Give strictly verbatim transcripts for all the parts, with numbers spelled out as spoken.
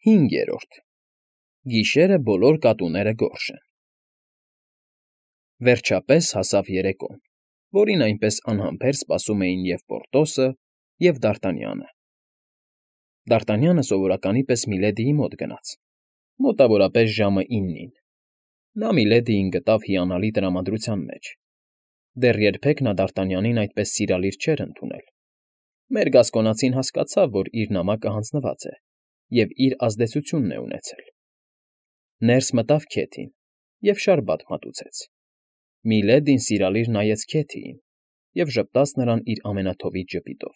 Հինգերորդ Գիշերը բոլոր կատուները գորշ են։ Վերջապես հասավ երեկոն, որին այնպես անհամբեր սպասում էին և՛ Պորտոսը, և՛ Դարտանյանը։ Դարտանյանը սովորականի պես Միլեդիի մոտ գնաց, մոտավորապես ժամը իննին. նա Միլեդիին գտավ հիանալի տրամադրության մեջ. դեռ երբեք նա Դարտանյանին այդպես սիրալիր չէր ընդունել։ Մեր գասկոնացին հասկացավ, որ իր նամակը հանձնված է և իր ազդեցությունն է ունեցել։ Ներս մտավ Քեթին և շարբաթ մատուցեց։ Միլեդին սիրալիր նայեց Քեթիին և ժպտաց նրան իր ամենաթովիճ ժպիտով,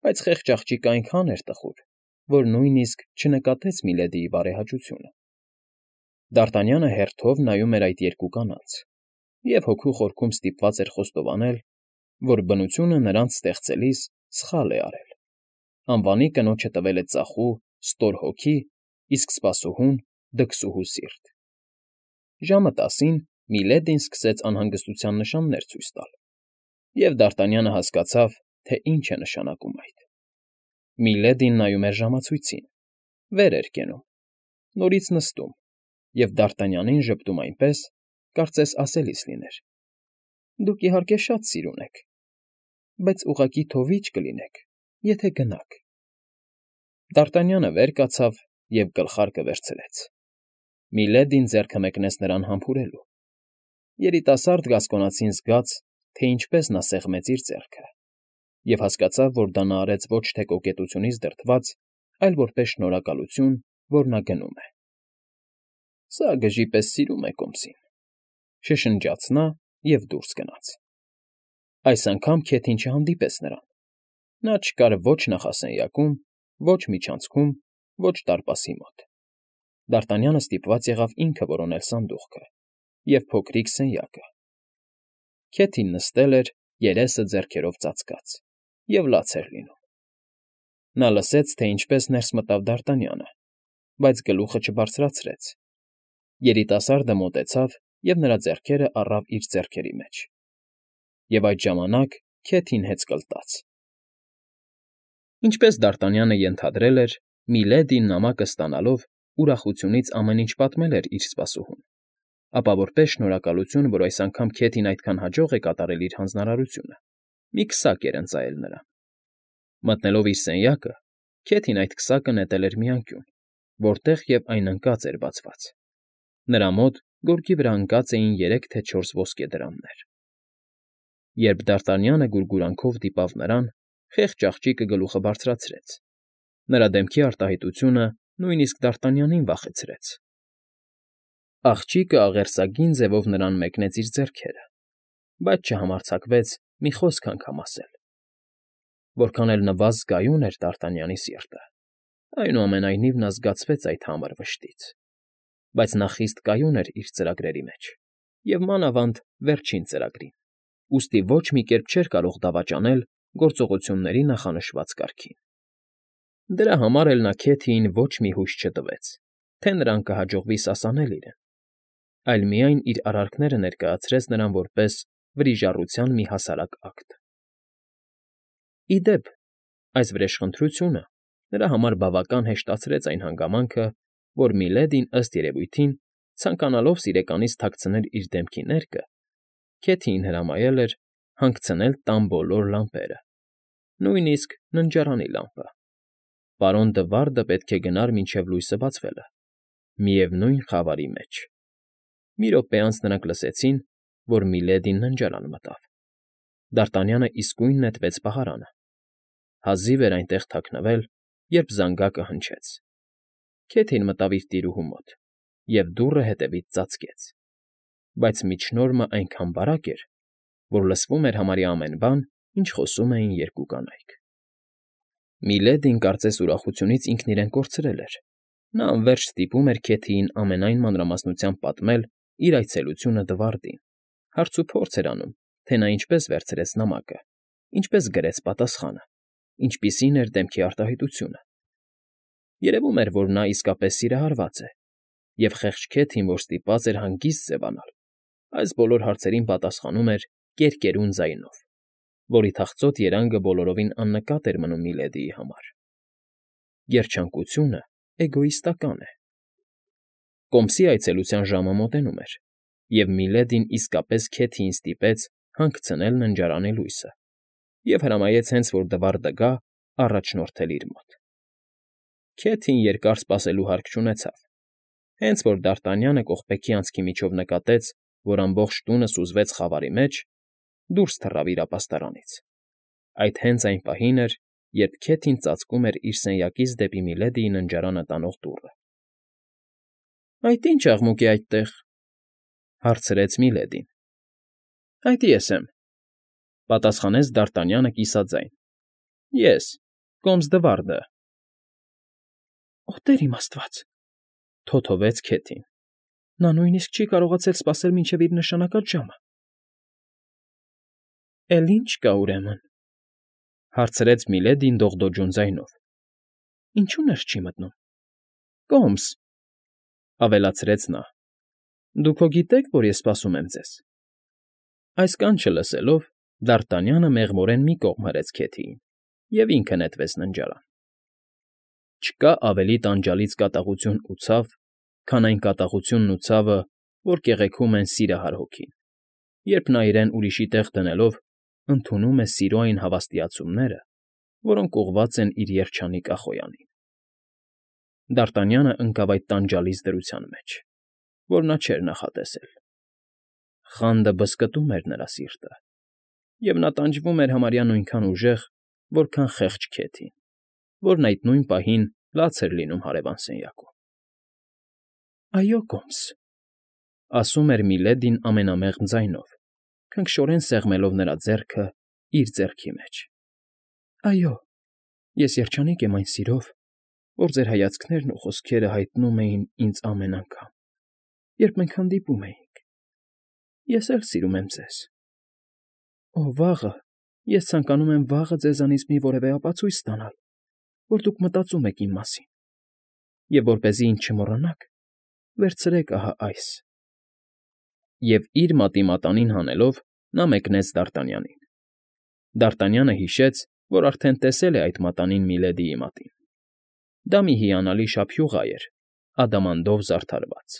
բայց խեղճ աղջիկը այնքան էր տխուր, որ նույնիսկ չնկատեց Միլեդիի բարեհաճությունը։ Դարտանյանը հերթով նայում էր այդ երկու կանանց և հոգու խորքում ստիպված էր խոստովանել, որ բնությունը նրանց ստեղծելիս սխալ է արել. անվանի կնոջը տվել է ծախու, ստոր հոգի, իսկ սպասուհուն՝ դքսուհու սիրտ։ Ժամը տասին Միլեդին սկսեց անհանգստության նշաններ ցույց տալ, և Դարտանյանը հասկացավ, թե ինչ է նշանակում այդ։ Միլեդին նայում էր ժամացույցին, վեր էր կենում, նորից նստում և Դարտանյանին ժպտում այնպես, կարծես ասելիս լիներ. «Դուք, իհարկե, շատ սիրուն եք, բայց ուղղակի թովիճ կլինեք, եթե գնաք»։ Դարտանյանը վեր կացավ և գլխարկը վերցրեց։ Միլեդին ձեռքը մեկնեց նրան համբուրելու։ Երիտասարդ գասկոնացին զգաց, թե ինչպես նա սեղմեց իր ձեռքը, և հասկացավ, որ դա նա արեց ոչ թե կոկետությունից դրդված, այլ որպես շնորհակալություն, որ նա գնում է։ «Սա գժի պես սիրում է կոմսին», ֊ շշնջաց նա և դուրս գնաց։ Այս անգամ Քեթին չհանդիպեց նրան։ Նա չկար ոչ նախասենյակում, ոչ միջանցքում, ոչ դարպասի մոտ։ Դարտանյանը ստիպված եղավ ինքը որոնել սանդուղքը և փոքրիկ սենյակը։ Քեթին նստել էր, երեսը ձեռքերով ծածկած, և լաց էր լինում։ Նա լսեց, թե ինչպես ներս մտավ Դարտանյանը, բայց գլուխը չբարձրացրեց։ Երիտասարդը մոտեցավ և նրա ձեռքերը առավ իր ձեռքերի մեջ։ Եվ այդ ժամանակ Քեթին հեծկլտաց։ Ինչպես Դարտանյանը ենթադրել էր, Միլեդին նամակը ստանալով ուրախությունից ամեն ինչ պատմել էր իր սպասուհուն, ապա որպես շնորհակալություն, որ այս անգամ Քեթին այդքան հաջող է կատարել իր հանձնարարությունը, մի քսակ էր ընծայել նրան։ Մտնելով իր սենյակը, Քեթին այդ քսակը նետել էր մի անկյուն, որտեղ և այն ընկած էր բացված։ Նրա մոտ գորգի վրա ընկած էին երեք թե չորս ոսկե դրամներ։ Երբ Դարտանյանը գուրգուրանքով դիպավ նրան, խեղճ աղջիկը գլուխը բարձրացրեց։ Նրա դեմքի արտահայտությունը նույնիսկ Դարտանյանին վախեցրեց։ Աղջիկը աղերսագին ձևով նրան մեկնեց իր ձեռքերը, բայց չհամարձակվեց մի խոսք անգամ ասել։ Որքան էլ նվազ զգայուն էր Դարտանյանի սիրտը, այնուամենայնիվ նա զգացվեց այդ համր վշտից։ Բայց նա խիստ կայուն էր իր ծրագրերի մեջ և մանավանդ վերջին ծրագրին, ուստի ոչ մի կերպ չէր կարող դավաճանել գործողությունների նախանշված կարգին։ Դրա համար էլ նա Քեթիին ոչ մի հույս չտվեց, թե նրան կհաջողվի սասանել իրեն, այլ միայն իր արարքները ներկայացրեց նրան որպես վրիժառության մի հասարակ ակտ։ Ի դեպ, այս վրեժխնդրությունը նրա համար բավական հեշտացրեց այն հանգամանքը, որ Միլեդին, ըստ երևույթին, ցանկանալով սիրեկանից թաքցնել իր դեմքի ներկը, Քեթիին հրամայել էր հանգցնել տան բոլոր լամպերը, նույնիսկ ննջարանի լամպը։ Պարոն Դվարդը պետք է գնար մինչև լույսը բացվելը, միևնույն խավարի մեջ։ Մի րոպե անց նրանք լսեցին, որ Միլեդին ննջարան մտավ։ Դարտանյանը իսկույն նետվեց պահարանը։ Հազիվ էր այնտեղ թաքնվել, երբ զանգակը հնչեց։ Քեթին մտավ իր տիրուհու մոտ և դուռը հետևից ծածկեց, բայց միջնորմը այնքան բարակ էր, որ լսվում էր համարյա ամեն բան, ինչ խոսում էին երկու կանայք։ Միլեդին կարծես ուրախությունից ինքն իրեն կորցրել էր։ Նա անվերջ ստիպում էր Քեթիին ամենայն մանրամասնությամբ պատմել իր այցելությունը Դվարդին, հարցուփորձ էր անում, թե նա ինչպես վերցրեց նամակը, ինչպես գրեց պատասխանը, ինչպիսին էր դեմքի արտահայտությունը։ Երևում էր, որ նա իսկապես սիրահարված է, և խեղճ Քեթին, որ ստիպված էր հանգիստ ձևանալ, այս բոլոր հարցերին պատասխանում էր կերկերուն ձայնով, որի թախծոտ երանգը բոլորովին աննկատ էր մնում Միլեդիի համար։ Երջանկությունը էգոիստական է։ Կոմսի այցելության ժամը մոտենում էր, և Միլեդին իսկապես Քեթիին ստիպեց հանգցնել ննջարանի լույսը և հրամայեց հենց որ Դվարդը գա, առաջնորդել իր մոտ։ Քեթին երկար սպասելու հարկ չունեցավ, հենց որ Դարտանյանը կողպեքի անցքի միջով նկատեց, որ ամբողջ տունը սուզվեց խավարի մեջ, դուրս թռավ իր ապաստարանից։ Այդ հենց այն պահին էր, երբ Քեթին ծածկում էր իր սենյակից դեպի Միլեդիի ննջարանը տանող դուռը։ ֊ Այդ ի՞նչ աղմուկ է այդտեղ,֊ հարցրեց Միլեդին։ ֊ Այդ ես եմ,֊ պատասխանեց Դարտանյանը կիսաձայն։֊ Ես, կոմս Դվարդը։ ֊ Օ, տեր իմ աստված,֊ թոթովեց Քեթին։֊ Նա նույնիսկ չի կարողացել սպասել մինչև իր նշանակած ժամը։ ֊ Էլ ի՞նչ կա, ուրեմն,֊ հարցրեց Միլեդին դողդոջուն ձայնով։ ֊ Ինչու ներս չի մտնում։ ֊ Կոմս,֊ ավելացրեց նա,֊ դուք հո գիտեք, որ ես սպասում եմ ձեզ։ Այս կանչը լսելով՝ Դարտանյանը մեղմորեն մի կողմ հրեց Քեթիին և ինքը նետվեց ննջարան։ Չկա ավելի տանջալից կատաղություն ու ցավ, քան այն կատաղությունն ու ցավը, որ կեղեքում են սիրահար հոգին, երբ նա իրեն ուրիշի տեղ դնելով ընդունում է սիրո այն հավաստիացումները, որոնք ուղղված են իր երջանիկ Ախոյանին։ Դարտանյանը ընկավ այդ տանջալից դրության մեջ, որ նա չէր նախատեսել։ Խանդը բզկտում էր նրա սիրտը, և նա տանջվում էր համարյա նույնքան ուժեղ, որքան խեղճ Քեթին, որն այդ նույն պահին լաց էր լինում հարևան սենյակում։ ֊ Այո, կոմս,֊ ասում էր Միլեդին ամենամեղմ ձայնով, քնքշորեն սեղմելով նրա ձեռքը իր ձեռքի մեջ։ ֊ Այո, ես երջանիկ եմ այն սիրով, որ ձեր հայացքներն ու խոսքերը հայտնում էին ինձ ամեն անգամ, երբ մենք հանդիպում էինք։ Ես էլ սիրում եմ ձեզ։ Օ, վաղը, ես ցանկանում եմ վաղը ձեզանից մի որևէ ապացույց ստանալ, որ դուք մտածում եք իմ մասին, և որպեսզի ինձ չմոռանաք, վերցրեք ահա այս… Եվ իր մատի մատանին հանելով՝ նա մեկնեց Դարտանյանին։ Դարտանյանը հիշեց, որ արդեն տեսել է այդ մատանին Միլեդիի մատին։ Դա մի հիանալի շափյուղա էր, ադամանդով զարդարված։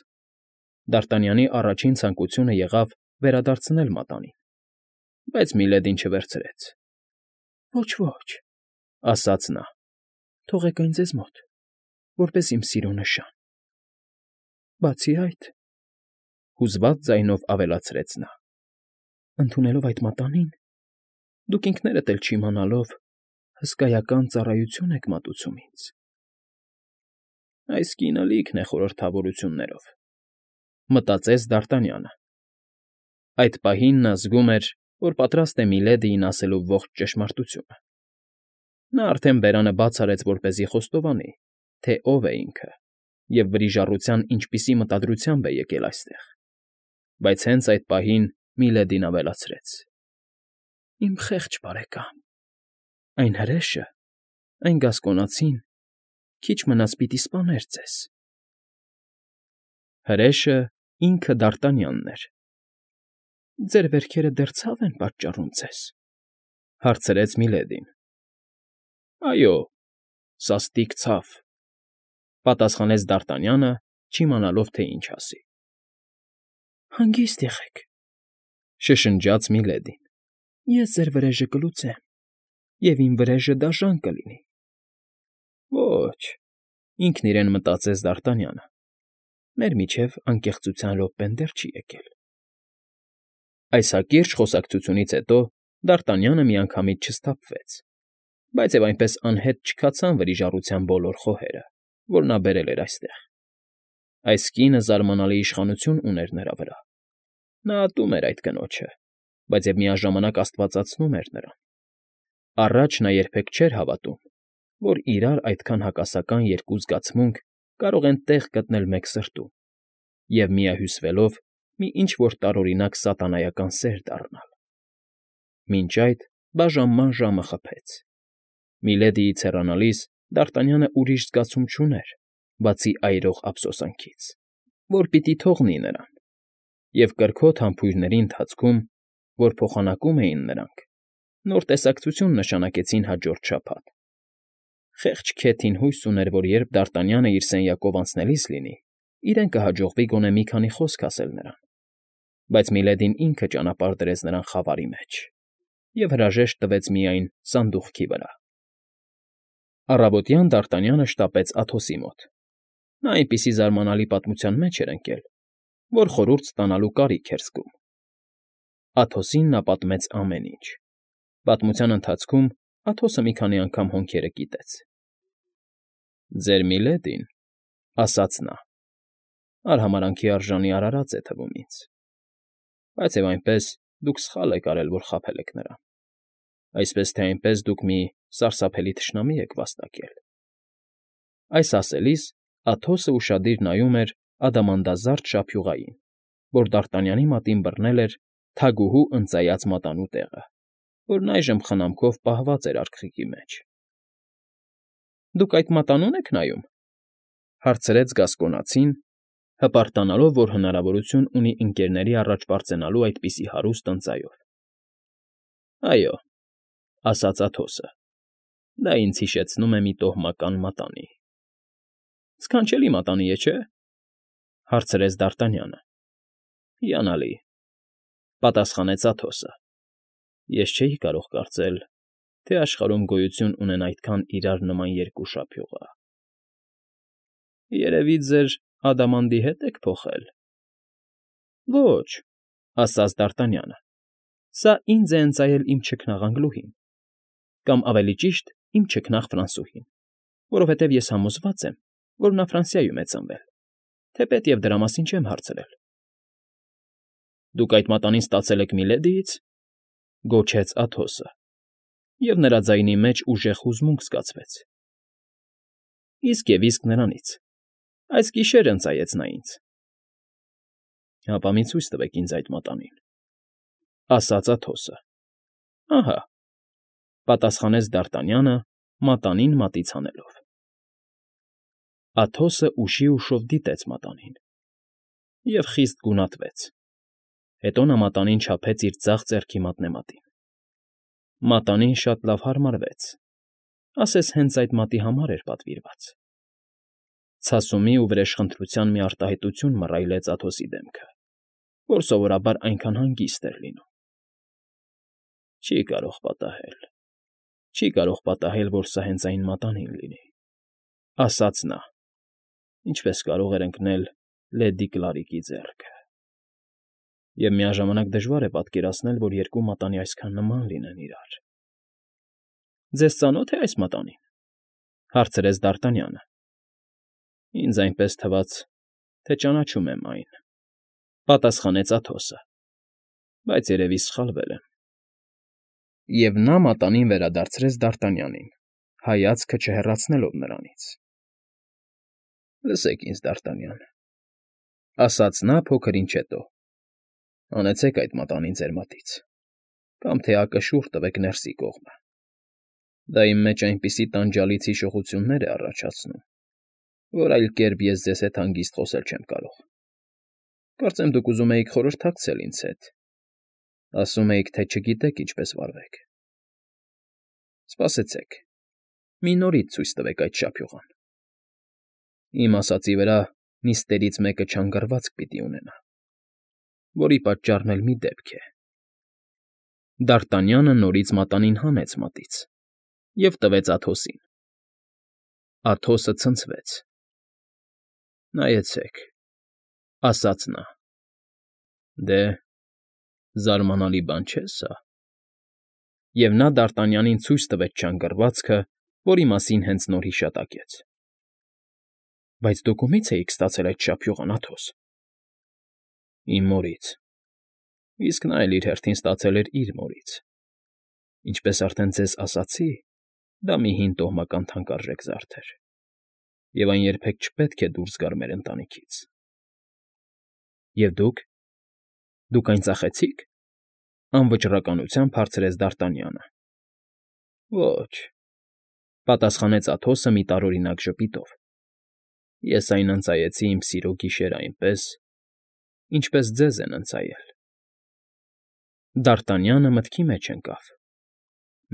Դարտանյանի առաջին ցանկությունը եղավ վերադարձնել մատանին, բայց Միլեդին չվերցրեց։ ֊ Ոչ, ոչ,֊ ասաց նա,֊ թողեք այն ձեզ մոտ, որպես իմ սիրո նշան։ Բացի այդ,֊ հուզված ձայնով ավելացրեց նա,֊ ընդունելով այդ մատանին, դուք ինքներդ էլ չիմանալով հսկայական ծառայություն եք մատուցում ինձ։ Այս կինը լիքն է խորհրդավորություններով,֊ մտածեց Դարտանյանը։ Այդ պահին նա զգում էր, որ պատրաստ է Միլեդիին ասելու ողջ ճշմարտությունը։ Նա արդեն բերանը բաց արեց, որպեսզի խոստովանի, թե ով է ինքը և վրիժառության ինչպիսի մտադրությամբ է եկել այստեղ, բայց հենց այդ պահին Միլեդին ավելացրեց. ֊ Իմ խեղճ բարեկամ, այն հրեշը, այն գասկոնացին քիչ մնաց պիտի սպաներ ձեզ։ Հրեշը ինքը Դարտանյանն էր։ ֊ Ձեր վերքերը դեռ ցավ են պատճառում ձեզ,֊ հարցրեց Միլեդին։ ֊ Այո, սաստիկ ցավ,֊ պատասխանեց Դարտանյանը, չիմանալով, թե ինչ ասի։ ֊ Հանգիստ եղեք,֊ շշնջաց Միլեդին,֊ ես ձեր վրեժը կլուծեմ, և իմ վրեժը դաժան կլինի։ ֊ Ոչ,֊ ինքն իրեն մտածեց Դարտանյանը,֊ մեր միջև անկեղծության րոպեն դեռ չի եկել։ Այս հակիրճ խոսակցությունից հետո Դարտանյանը միանգամից չսթափվեց, բայց և այնպես անհետ չքացան վրիժառության բոլոր խոհերը, որ նա բերել էր այստեղ։ Այս կինը զարմանալի իշխանություն ուներ նրա վրա։ Նա ատում էր այդ կնոջը, բայց և միաժամանակ աստվածացնում էր նրան։ Առաջ նա երբեք չէր հավատում, որ իրար այդքան հակասական երկու զգացմունք կարող են տեղ գտնել մեկ սրտում և, միահյուսվելով, մի ինչ֊որ տարօրինակ սատանայական սեր դառնալ։ Մինչ այդ բաժանման ժամը խփեց։ Միլեդիից հեռանալիս Դարտանյանը ուրիշ զգացում չուներ, բացի այրող ափսոսանքից, որ պիտի թողնի նրան, և կրքոտ համբույրների ընթացքում, որ փոխանակում էին նրանք, նոր տեսակցություն նշանակեցին հաջորդ շաբաթ։ Խեղճ քեթին հույս ուներ, որ երբ Դարտանյանը իր սենյակով անցնելիս լինի, իրեն կհաջողվի գոնե մի քանի խոսք ասել նրան, բայց Միլեդին ինքը ճանապարհ դրեց նրան խավարի մեջ և հրաժեշտ տվեց միայն սանդուղքի վրա։ Առավոտյան Դարտանյանը շտապեց Աթոսի մոտ. նա այնպիսի զարմանալի պատմության մեջ էր ընկել, որ խորհուրդ ստանալու կարիք էր զգում։ Աթոսին նա պատմեց ամեն ինչ։ Պատմության ընթացքում Աթոսը մի քանի անգամ հոնքերը կիտեց։ «Ձեր Միլեդին,֊ ասաց նա,֊ արհամարհանքի արժանի արարած է թվում ինձ, բայց և այնպես դուք սխալ եք արել, որ խաբել եք նրան, այսպես թե այնպես դուք մի սարսափելի թշնամի եք վաստակել»։ Այս ասելիս Աթոսը ուշադիր նայում էր ադամանդազարդ շափյուղային, որ Դարտանյանի մատին բռնել էր թագուհու ընծայած մատանու տեղը, որն այժմ խնամքով պահված էր արքղիկի մեջ։ ֊ Դուք այդ մատանո՞ւն եք նայում,֊ հարցրեց գասկոնացին, հպարտանալով, որ հնարավորություն ունի ընկներների առաջ պարծենալու այդպիսի հարուստ ընծայով։ ֊ Այո,֊ ասաց Աթոսը,֊ դա ինձ հիշեցնում է մի տոհմական մատանի։ ֊ Սքանչելի մատանի է, չէ՞, հարցրեց Դարտանյանը։ ֊ Հիանալի,֊ պատասխանեց Աթոսը։ Ես չէի կարող կարծել, թե աշխարհում գոյություն ունեն այդքան իրար նման երկու շափյուղա։ ֊ Երևի ձեր Ադամանդի հետ եք փոխել։ ֊ Ոչ,֊ ասաց Դարտանյանը,֊ սա ինձ է ընծայել իմ չքնաղ Անգլուհին, կամ ավելի ճիշտ, իմ չքնաղ Ֆրանսուհին, որովհետև ես համոզված եմ, որ նա Ֆրանսիայում է ծնվել, թեպետ և դրա մասին չեմ հարցրել։ ֊ Դուք այդ մատանին ստացել եք Միլեդիից,֊ գոչեց Աթոսը, և նրա ձայնի մեջ ուժեղ հուզմունք զգացվեց։ ֊ Իսկ և իսկ նրանից, այս գիշեր ընծայեց նա ինձ։ ֊ Հապա մի ցույց տվեք ինձ այդ մատանին,֊ ասաց Աթոսը։ ֊ Ահա,֊ պատասխանեց Դարտանյանը մատանին մատից հանելով։ Աթոսը ուշի ուշով դիտեց մատանին և խիստ գունատվեց։ Հետո նա մատանին չափեց իր ձախ ձեռքի մատնեմատին։ Մատանին շատ լավ հարմարվեց, ասես հենց այդ մատի համար էր պատվիրված։ Ցասումի ու վրեժխնդրության մի արտահայտություն մռայլեց Աթոսի դեմքը, որ սովորաբար այնքան հանգիստ էր լինում։ ֊ Չի կարող պատահել, չի կարող պատահել, որ սա հենց այն մատանին լինի,֊ ասաց նա, ինչպես կարող էր ընկնել լեդի Կլարիկի ձեռքը։ Եվ միաժամանակ դժվար է պատկերացնել, որ երկու մատանի այսքան նման լինեն իրար։ ֊ Ձեզ ծանո՞թ է այս մատանին,֊ հարցրեց Դարտանյանը։ ֊ Ինձ այնպես թվաց, թե ճանաչում եմ այն,֊ պատասխանեց Աթոսը,֊ բայց երևի սխալվել եմ։ Եվ նա մատանին վերադարձրեց Դարտանյանին, հայացքը չհեռացնելով նրանից։ ֊ Լսեք ինձ, Դարտանյան,֊ ասաց նա փոքր ինչ հետո,֊ հանեցեք այդ մատանին ձեր մատից, կամ թեակը շուռ տվեք ներսի կողմը. դա իմ մեջ այնպիսի տանջալից հիշողություններ է առաջացնում, որ այլ կերպ ես ձեզ հետ հանգիստ խոսել չեմ կարող։ Կարծեմ դուք ուզում էիք խորհրդակցել ինձ հետ, ասում էիք, թե չգիտեք ինչպես վարվեք։ Սպասեցեք, մի նորից ցույց տվեք այդ շափյուղան։ Իմ ասածի վրա նիստերից մեկը չանգառվածք պիտի ունենա, որի պատճառն էլ մի դեպք է։ Դարտանյանը նորից մատանին հանեց մատից և տվեց Աթոսին։ Աթոսը ցնցվեց։ ֊ Նայեցեք,֊ ասաց նա,֊ դե, զարմանալի բան չէ՞ սա։ Եվ նա Դարտանյանին ցույց տվեց չանգռվածքը, որի մասին հենց նոր հիշատակեց։ ֊ Բայց դուք ումի՞ց էիք ստացել այդ շափյուղն, Աթոս։ ֊ Իմ մորից, իսկ նա էլ իր հերթին ստացել էր իր մորից։ Ինչպես արդեն ձեզ ասացի, դա մի հին տոհմական թանկարժեք զարդ էր, և այն երբեք չպետք է դուրս գար մեր ընտանիքից։ ֊ Եվ դուք… դուք այն ծախեցի՞ք,֊ անվճռականությամբ հարցրեց Դարտանյանը։ ֊ Ոչ,֊ պատասխանեց Աթոսը մի տարօրինակ ժպիտով,֊ ես այն ընծայեցի իմ սիրո գիշերը այնպես, ինչպես ձեզ են ընծայել։ Դարտանյանը մտքի մեջ ընկավ։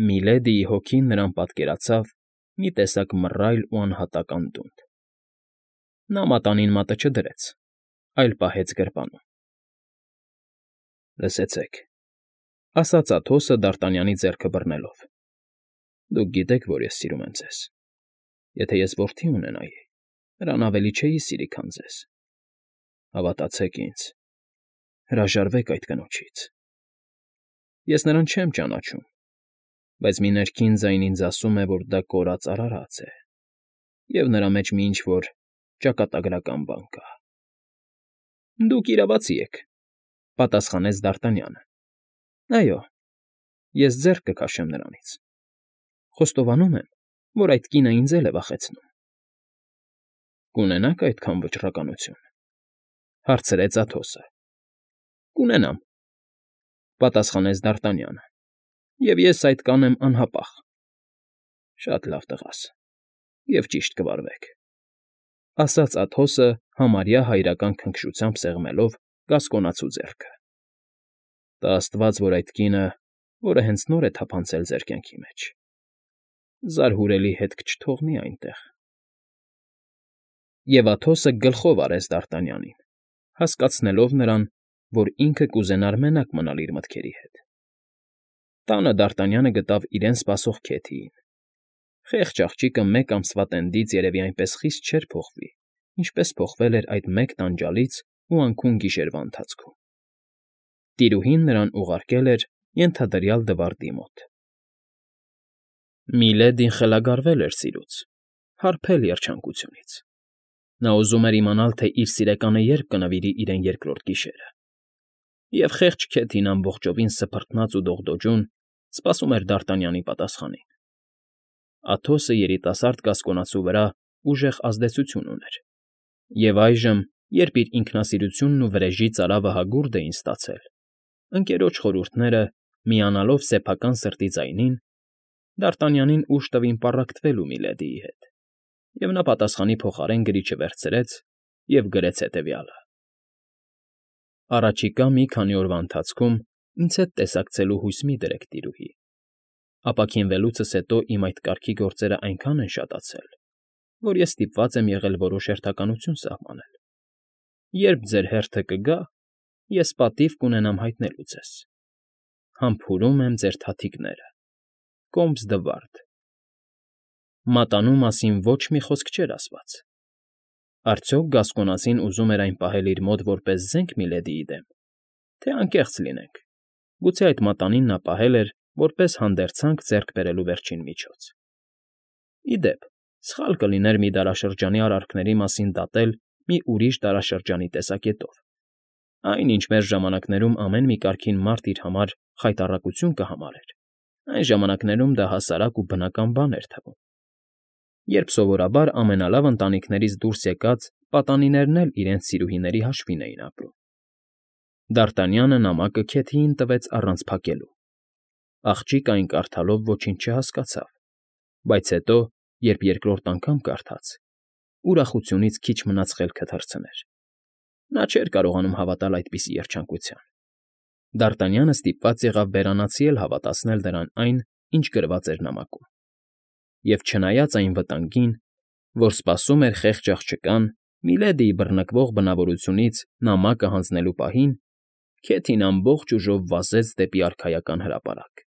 Միլեդիի հոգին նրան պատկերացավ մի տեսակ մռայլ ու անհատակ անդունդ։ Նա մատանին մատը չդրեց, այլ պահեց գրպանում։ ֊ Լսեցեք,֊ ասաց Աթոսը Դարտանյանի ձեռքը բռնելով,֊ դուք գիտեք, որ ես սիրում եմ ձեզ. եթե ես որդի ունենայի, նրան ավելի չէի սիրի, քան ձեզ. հավատացեք ինձ, հրաժարվեք այդ կնոջից։ Ես նրան չեմ ճանաչում, բայց մի ներքին ձայն ինձ ասում է, որ դա կորած արարած է, և նրա մեջ մի ինչ֊որ ճակատագրական բան կա։ ֊ Դուք իրավացի եք,֊ պատասխանեց Դարտանյանը։ ֊ Այո, ես ձեռք կքաշեմ նրանից. խոստովանում եմ, որ այդ կինը ինձ էլ է վախեցնում։ ֊ Կունենա՞ք այդքան վճռականություն,֊ հարցրեց Աթոսը։ ֊ Կունենամ,֊ պատասխանեց Դարտանյանը,֊ և ես այդ կանեմ անհապաղ։ ֊ Շատ լավ, տղաս, և ճիշտ կվարվեք,֊ ասաց Աթոսը համարյա հայրական քնքշությամբ սեղմելով կասկոնացու ձեռքը։ ֊ Տա աստված, որ այդ կինը, որը հենց նոր է թափանցել ձեր կյանքի մեջ, զարհուրելի հետք չթողնի այնտեղ… Եվ Աթոսը գլխով արեց Դարտանյանին, հասկացնելով նրան, որ ինքը կուզենար մենակ մնալ իր մտքերի հետ։ Տանը Դարտանյանը գտավ իրեն սպասող Քեթիին։ Խեղճ աղջիկը մեկ ամսվա տենդից երևի այնպես խիստ չէր փոխվի, ինչպես փոխվել էր այդ մեկ տանջալից ու անքուն գիշերվա ընթացքում։ Տիրուհին նրան ուղարկել էր ենթադրյալ Դվարդի մոտ։ Միլեդին խելագարվել էր սիրուց, հարբել երջանկությունից։ Նա ուզում էր իմանալ, թե իր սիրեկանը երբ կնվիրի իրեն երկրորդ գիշերը։ Եվ խեղճ Քեթին ամբողջովին սփռտնած ու դողդոջուն սպասում էր Դարտանյանի պատասխանին։ Աթոսը երիտասարդ կասկոնացու վրա ուժեղ ազդեցություն ուներ, և այժմ, երբ իր ինքնասիրությունն ու վրեժի ծարավը հագուրդ էին ստացել, ընկերոջ խորհուրդները միանալով սեփական սրտի ձայնին, Դարտանյանին ուժ տվին պառակտվելու Միլեդիի հետ, և նա պատասխանի փոխարեն գրիչը վերցրեց և գրեց հետևյալը. Առաջիկա մի քանի օրվա ընթացքում ինձ հետ տեսակցելու հույս մի դրեք, տիրուհի, ապաքինվելուցս հետո իմ այդ կարգի գործերն այնքան են շատացել, որ ես ստիպված եմ եղել որոշ հերթականություն սահմանել. երբ ձեր հերթը կգա, ես պատիվ կունենամ հայտնելու ձեզ. համբուրում եմ ձեր թաթիկները, Կոմս Դվարդ։ Մատանու մասին ոչ մի խոսք չէր ասված։ Արդյոք գասկոնացին ուզում էր այն պահել իր մոտ որպես զենք Միլեդիի դեմ, թե անկեղծ լինենք, գուցե այդ մատանին նա պահել էր որպես հանդերձանք ձեռք բերելու վերջին միջոց։ Ի դեպ, սխալ կլիներ մի դարաշրջանի արարքների մասին դատել մի ուրիշ դարաշրջանի տեսակետով, այն, ինչ մեր ժամանակներում ամեն մի կարգին մարդ իր համար խայտառակություն կհամարեր, այն ժամանակներում դա հասարակ ու բնական բան էր թվում, երբ սովորաբար ամենալավ ընտանիքներից դուրս եկած պատանիներն էլ իրենց սիրուհիների հաշվին էին ապրում։ Դարտանյանը նամակը Քեթիին տվեց առանց փակելու։ Աղջիկը այն կարդալով ոչինչ չհասկացավ, բայց հետո, երբ երկրորդ անգամ կարդաց, ուրախությունից քիչ մնաց խելքը թռցներ։ Նա չէր կարողանում հավատալ այդպիսի երջանկության։ Դարտանյանը ստիպված եղավ բերանացի էլ հավատացնել նրան այն, ինչ գրված էր նամակում։ Եվ չնայած այն վտանգին, որ սպասում էր խեղճ աղջկան Միլեդիի բռնկվող բնավորությունից նամակը հանձնելու պահին, Քեթին ամբողջ ուժով վազեց դեպի արքայական հրապարակ։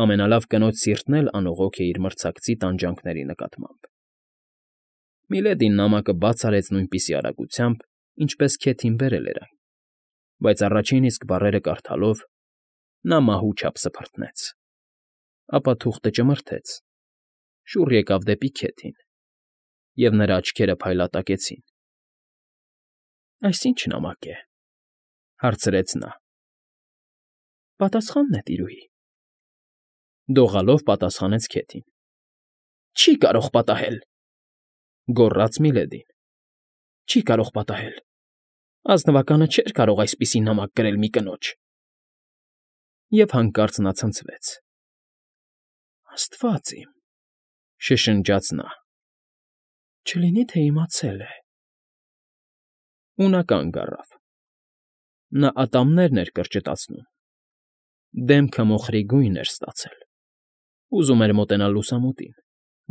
Ամենալավ կնոջ սիրտն էլ անողոք է իր մրցակցի տանջանքների նկատմամբ։ Միլեդին նամակը բաց արեց նույնպիսի արագությամբ, ինչպես Քեթին բերել էր այն, բայց առաջին իսկ բառերը կարդալով նա մահու չափ սփռտնեց։ Ապա թուղթը ճմրթեց, շուռ եկավ դեպի Քեթին, և նրա աչքերը փայլատակեցին։ ֊ Այս ի՞նչ նամակ է,֊ հարցրեց նա։ ֊ Պատասխանն է, տիրուհի,֊ դողալով պատասխանեց Քեթին։ ֊ Չի կարող պատահել,֊ գոռաց Միլեդին,֊ չի կարող պատահել… Ազնվականը չէր կարող այսպիսի նամակ գրել մի կնոջ… Եվ հանկարծ նա ցնցվեց։ ֊ Աստված իմ,֊ շշնջաց նա,֊ չլինի թե իմացել է… Ու նա կանգ առավ։ Նա ատամներն էր կրճտացնում, դեմքը մոխրի գույն էր ստացել, ուզում էր մոտենալ լուսամուտին,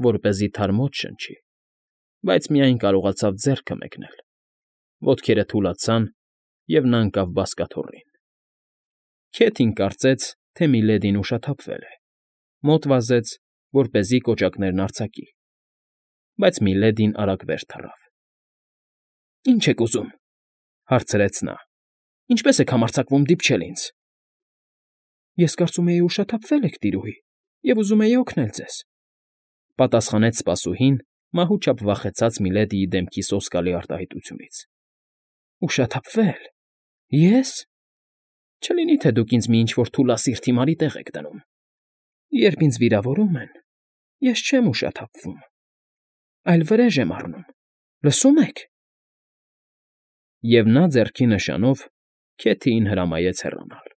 որպեսզի թարմոց շնչի, բայց միայն կարողացավ ձեռքը մեկնել, ոտքերը թուլացան, և նա ընկավ բազկաթոռին։ Քեթին կարծեց, թե Միլեդին ուշաթափվել է, մոտ վազեց, որպեսզի կոճակներն արձակի, բայց Միլեդին արագ վեր թռավ։ ֊ Ի՞նչ եք ուզում,֊ հարցրեց նա։֊ Ինչպե՞ս եք համարձակվում դիպչել ինձ։ ֊ Ես կարծում էի ուշաթափվել եք, տիրուհի, և ուզում էի օգնել ձեզ,֊ պատասխանեց սպասուհին, մահուճապ վախեցած Միլեդիի դեմքի սոսկալի արտահայտությունից։ ֊ Ուշաթափվե՞լ… Ե՞ս… Չլինի թե դուք ինձ մի ինչ֊որ թուլասիրտ հիմարի տեղ եք դնում… Երբ ինձ վիրավորում են, ես չեմ ուշաթափվում, այլ վրեժ եմ առնում, լսո՞ւմ եք… Եվ նա ձեռքի նշանով Քեթիին հրամայեց հեռանալ։